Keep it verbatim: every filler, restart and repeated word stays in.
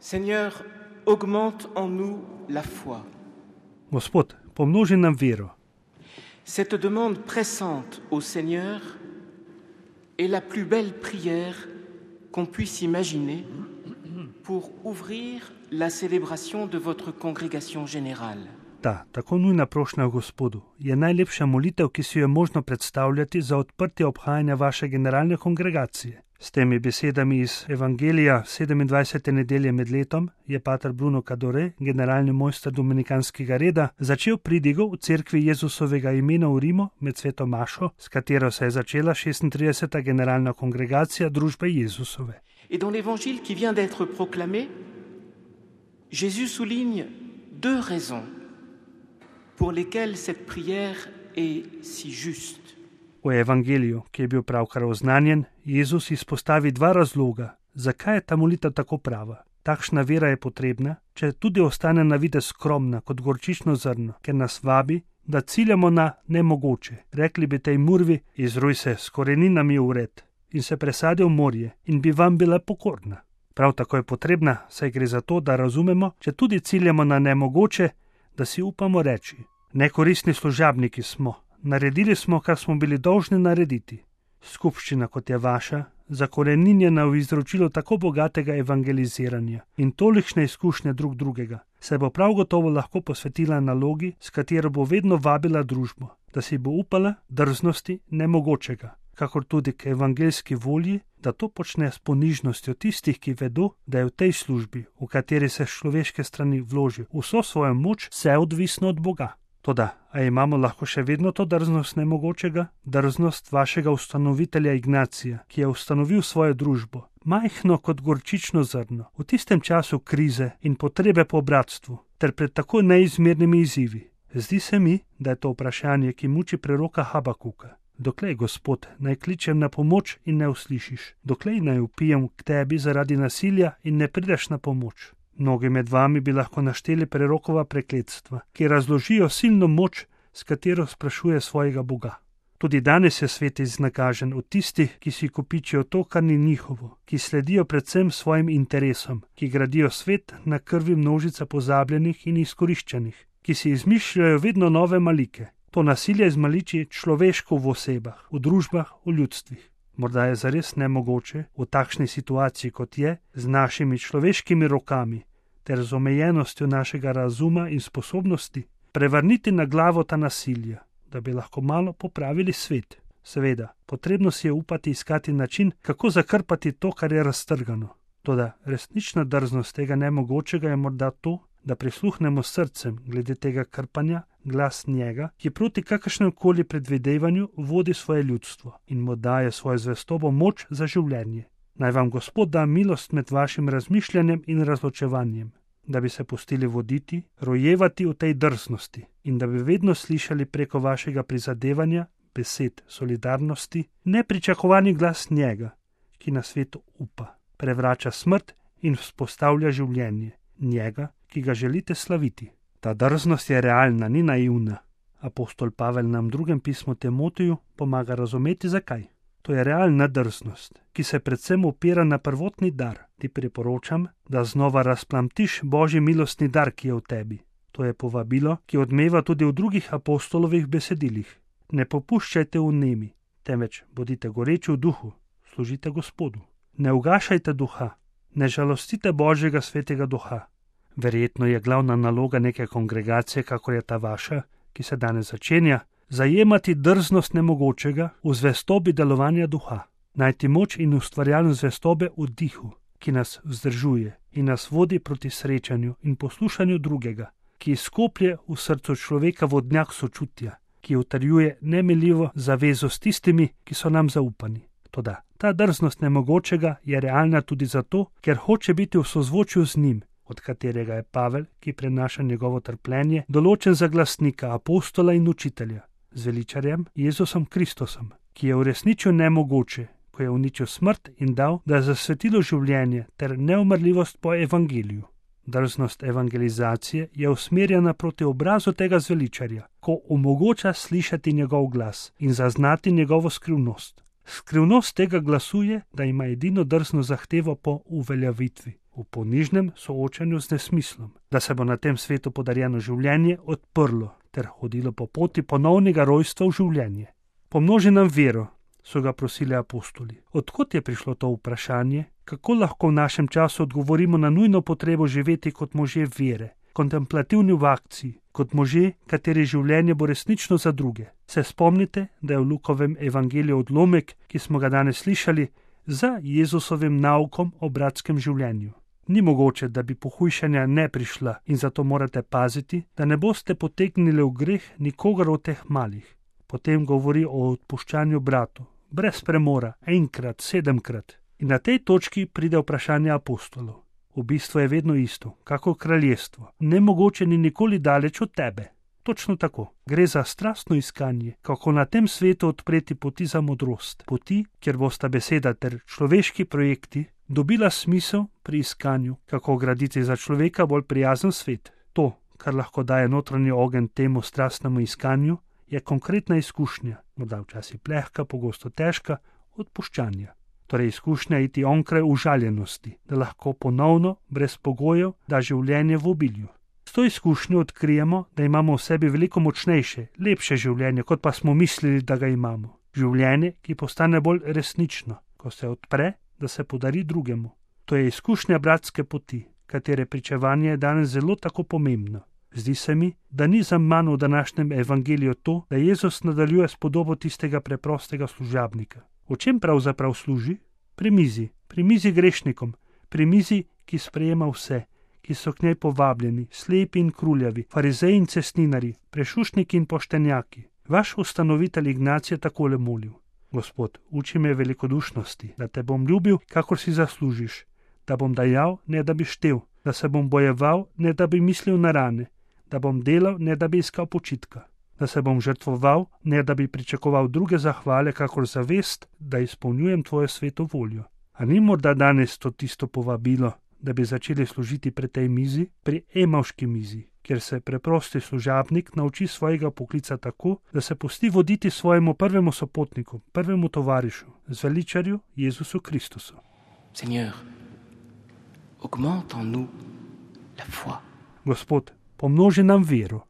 Seigneur, augmente en nous la foi. Gospod, pomnoži nam vero. Cette demande pressante au Seigneur est la plus belle prière qu'on puisse imaginer pour ouvrir la célébration de votre congrégation générale. Ta, tako nujna prošnja Gospodu je najlepša molitev, ki si jo je možno predstavljati za odprtje obhajanja vaše generalne kongregacije. S temi besedami iz Evangelija sedemindvajsete nedelje med letom je pater Bruno Cadore, generalni mojster dominikanskega reda, začel pridigo v cerkvi Jezusovega imena v Rimu med sveto mašo, s katero se je začela šestintrideseta generalna kongregacija družbe Jezusove. Et dans l'évangile qui vient d'être proclamé, Jésus souligne deux raisons pour lesquelles cette prière est si juste. V evangeliju, ki je bil pravkar oznanjen, Jezus izpostavi dva razloga, zakaj je ta molitev tako prava. Takšna vera je potrebna, če tudi ostane na videz skromna kot gorčično zrno, ker nas vabi, da ciljamo na nemogoče. Rekli bi tej murvi, izruj se s koreninami v red in se presadi v morje in bi vam bila pokorna. Prav tako je potrebna, saj gre za to, da razumemo, če tudi ciljamo na nemogoče, da si upamo reči. Nekoristni služabniki smo. Naredili smo, kar smo bili dolžni narediti. Skupščina, kot je vaša, zakoreninjena v izročilu tako bogatega evangeliziranja in tolikšne izkušnje drug drugega, se bo prav gotovo lahko posvetila nalogi, s katero bo vedno vabila družbo, da si bo upala drznosti nemogočega, kakor tudi k evangeljski volji, da to počne s ponižnostjo tistih, ki vedo, da je v tej službi, v kateri se s človeške strani vloži vso svojo moč, vse odvisno od Boga. Toda, a imamo lahko še vedno to drznost nemogočega? Drznost vašega ustanovitelja Ignacija, ki je ustanovil svojo družbo, majhno kot gorčično zrno, v tistem času krize in potrebe po bratstvu, ter pred tako neizmernimi izzivi. Zdi se mi, da je to vprašanje, ki muči preroka Habakuka. Doklej, Gospod, naj kličem na pomoč in ne uslišiš? Doklej naj vpijem k tebi zaradi nasilja in ne prideš na pomoč? Mnogi med vami bi lahko našteli prerokova prekletstva, ki razložijo silno moč, s katero sprašuje svojega Boga. Tudi danes je svet iznakažen od tistih, ki si kopičijo to, kar ni njihovo, ki sledijo predvsem svojim interesom, ki gradijo svet na krvi množica pozabljenih in izkoriščenih, ki si izmišljajo vedno nove malike. To nasilje izmaliči človeško v osebah, v družbah, v ljudstvih. Morda je zares nemogoče v takšni situaciji, kot je, z našimi človeškimi rokami ter z omejenostjo našega razuma in sposobnosti, prevrniti na glavo ta nasilja, da bi lahko malo popravili svet. Seveda, potrebno si je upati iskati način, kako zakrpati to, kar je raztrgano. Toda resnična drznost tega nemogočega je morda to, da prisluhnemo srcem glede tega krpanja, glas njega, ki proti kakršnem koli predvidevanju vodi svoje ljudstvo in mu daje svojo zvestobo moč za življenje. Naj vam Gospod da milost med vašim razmišljanjem in razločevanjem, da bi se pustili voditi, rojevati v tej drznosti in da bi vedno slišali preko vašega prizadevanja, besed, solidarnosti, nepričakovani glas njega, ki na svetu upa, prevrača smrt in vzpostavlja življenje, njega, ki ga želite slaviti. Ta drznost je realna, ni naivna. Apostol Pavel nam v drugem pismu Timoteju pomaga razumeti, zakaj. To je realna drznost, ki se predvsem opira na prvotni dar. Ti priporočam, da znova razplamtiš Božji milostni dar, ki je v tebi. To je povabilo, ki odmeva tudi v drugih apostolovih besedilih. Ne popuščajte v nemi, temveč bodite goreči v duhu, služite Gospodu. Ne ugašajte duha, ne žalostite Božjega svetega duha. Verjetno je glavna naloga neke kongregacije, kakor je ta vaša, ki se danes začenja, zajemati drznost nemogočega v zvestobi delovanja duha, najti moč in ustvarjalnost zvestobe v dihu, ki nas vzdržuje in nas vodi proti srečanju in poslušanju drugega, ki izkoplje v srcu človeka vodnjak sočutja, ki utrjuje nemiljivo zavezo s tistimi, ki so nam zaupani. Toda ta drznost nemogočega je realna tudi zato, ker hoče biti v sozvočju z njim, od katerega je Pavel, ki prenaša njegovo trpljenje, določen za glasnika, apostola in učitelja, z veličarjem Jezusom Kristusom, ki je uresničil nemogoče, ko je uničil smrt in dal, da je zasvetilo življenje ter neumrljivost po evangeliju. Drznost evangelizacije je usmerjena proti obrazu tega zveličarja, ko omogoča slišati njegov glas in zaznati njegovo skrivnost. Skrivnost tega glasu je, da ima edino drzno zahtevo po uveljavitvi, v ponižnem soočanju z nesmislom, da se bo na tem svetu podarjeno življenje odprlo ter hodilo po poti ponovnega rojstva v življenje. Pomnoži nam vero, so ga prosili apostoli. Odkot je prišlo to vprašanje, kako lahko v našem času odgovorimo na nujno potrebo živeti kot možje vere, kontemplativni v akciji, kot možje, kateri življenje bo resnično za druge. Se spomnite, da je v Lukovem evangeliju odlomek, ki smo ga danes slišali, za Jezusovim naukom o bratskem življenju. Ni mogoče, da bi pohujšanja ne prišla in zato morate paziti, da ne boste potegnili v greh nikogar od teh malih. Potem govori o odpuščanju bratu, brez premora, enkrat, sedemkrat. In na tej točki pride vprašanje apostolov. V bistvu je vedno isto, kako kraljestvo. Nemogoče ni nikoli daleč od tebe. Točno tako. Gre za strastno iskanje, kako na tem svetu odpreti poti za modrost. Poti, kjer bosta beseda ter človeški projekti dobila smisel pri iskanju, kako graditi za človeka bolj prijazen svet. To, kar lahko daje notranji ogenj temu strastnemu iskanju, je konkretna izkušnja, morda včasih plehka, pogosto težka, odpuščanja. Torej izkušnja iti onkraj užaljenosti, da lahko ponovno, brez pogojev, da življenje v obilju. S to izkušnjo odkrijemo, da imamo v sebi veliko močnejše, lepše življenje, kot pa smo mislili, da ga imamo. Življenje, ki postane bolj resnično, ko se odpre, da se podari drugemu. To je izkušnja bratske poti, katere pričevanje je danes zelo tako pomembno. Zdi se mi, da ni zaman v današnjem evangeliju to, da Jezus nadaljuje s podobo tistega preprostega služabnika. O čem pravzaprav služi? Pri mizi, pri mizi grešnikom, pri mizi, ki sprejema vse, ki so k njej povabljeni, slepi in kruljavi, farizeji in cestninari, prešušniki in poštenjaki. Vaš ustanovitelj Ignacij je takole molil: Gospod, uči me velikodušnosti, da te bom ljubil, kakor si zaslužiš, da bom dajal, ne da bi štel, da se bom bojeval, ne da bi mislil na rane, da bom delal, ne da bi iskal počitka, da se bom žrtvoval, ne da bi pričakoval druge zahvale, kakor zavest, da izpolnjujem tvojo sveto voljo. A ni morda danes to tisto povabilo, da bi začeli služiti pri tej mizi, pri Emavški mizi, kjer se preprosti služabnik nauči svojega poklica tako, da se pusti voditi svojemu prvemu sopotniku, prvemu tovarišu, zveličarju Jezusu Kristusu. Seigneur, augmente en nous la foi. Gospod, pomnoži nam vero.